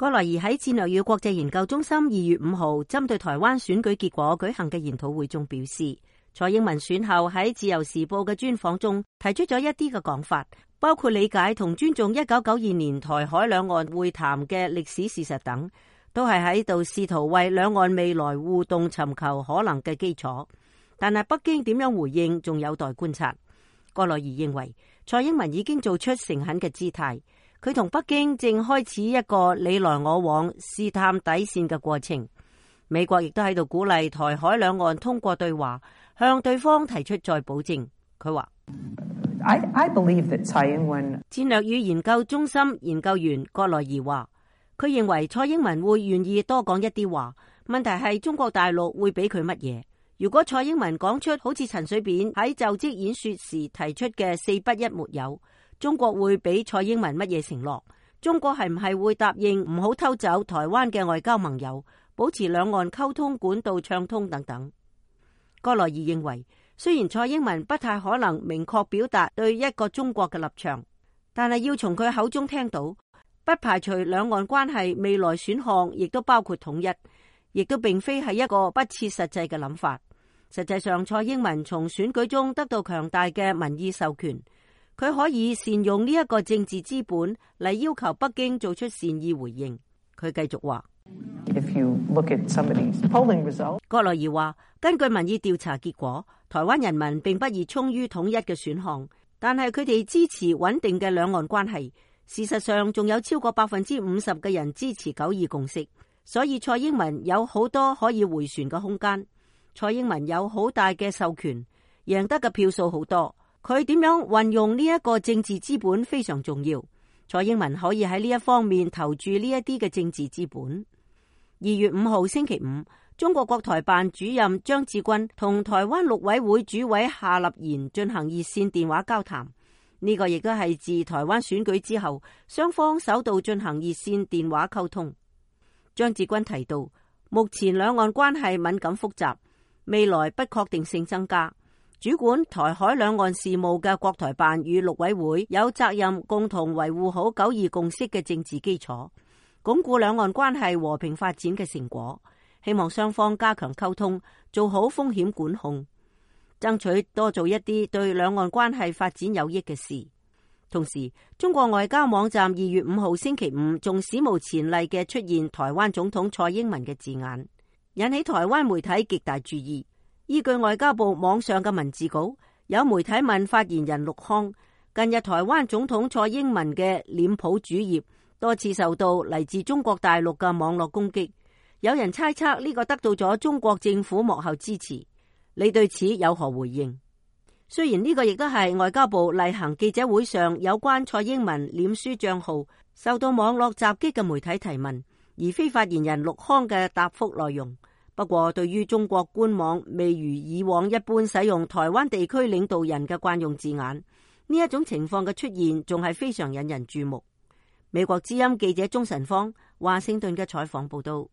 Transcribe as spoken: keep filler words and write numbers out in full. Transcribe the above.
葛萊儀喺戰略與國際研究中心二月五號針對台灣選舉結果舉行嘅研討會中表示，蔡英文選後喺自由時報嘅專訪中提出咗一啲嘅講法，包括理解同尊重一九九二年台海兩岸會談嘅歷史事實等，都係喺度試圖為兩岸未來互動尋求可能嘅基礎。但係北京點樣回應仲有待觀察。葛萊儀認為蔡英文已經做出誠懇嘅姿態，佢同北京正開始一個你來我往試探底線嘅過程。美國亦都喺度鼓勵台海兩岸通過對話向對方提出再保證。佢話 I, I believe that 蔡英文戰略與研究中心研究員葛萊儀話，佢認為蔡英文會願意多講一啲話，問題係中國大陸會俾佢乜嘢。如果蔡英文講出好似陳水扁喺就職演說時提出嘅四不一沒有，中國會俾蔡英文乜嘢承諾？中國係唔係會答應唔好偷走台灣嘅外交盟友，保持兩岸溝通管道暢通等等？葛萊儀認為，雖然蔡英文不太可能明確表達對一個中國嘅立場，但係要從佢口中聽到，不排除兩岸關係未來選項亦都包括統一，亦都並非係一個不切實際嘅諗法。實際上，蔡英文從選舉中得到強大嘅民意授權，佢可以善用呢一個政治資本嚟要求北京做出善意回應。佢繼續話，葛萊儀話，根據民意調查結果，台灣人民並不熱衷於統一嘅選項，但係佢哋支持穩定嘅兩岸關係。事實上，仲有超過百分之五十嘅人支持九二共識，所以蔡英文有好多可以回旋嘅空間。蔡英文有好大嘅授權，贏得嘅票數好多，佢點樣運用呢一個政治資本非常重要。蔡英文可以喺呢一方面投注呢一啲嘅政治資本。二月五號星期五，中國國台辦主任張志軍同台灣陸委會主委夏立言進行熱線電話交談，呢、這個亦都係自台灣選舉之後雙方首度進行熱線電話溝通。張志軍提到，目前兩岸關係敏感複雜，未來不確定性增加，主管台海兩岸事務嘅國台辦與陸委會有責任共同維護好九二共識嘅政治基礎，鞏固兩岸關係和平發展嘅成果。希望雙方加強溝通，做好風險管控，爭取多做一啲對兩岸關係發展有益嘅事。同時，中國外交網站二月五號星期五仲史無前例嘅出現台灣總統蔡英文嘅字眼，引起台灣媒體極大注意。依據外交部網上嘅文字稿，有媒體問發言人陸康，近日台灣總統蔡英文嘅臉譜主頁多次受到嚟自中國大陸嘅網絡攻擊，有人猜測呢個得到咗中國政府幕後支持，你對此有何回應？雖然呢個亦都係外交部例行記者會上有關蔡英文臉書賬號受到網絡襲擊嘅媒體提問，而非發言人陸康嘅答覆內容。不過，對於中國官網未如以往一般使用台灣地區領導人嘅慣用字眼，呢一種情況嘅出現仲係非常引人注目。美國之音記者鍾晨芳華盛頓嘅採訪報道。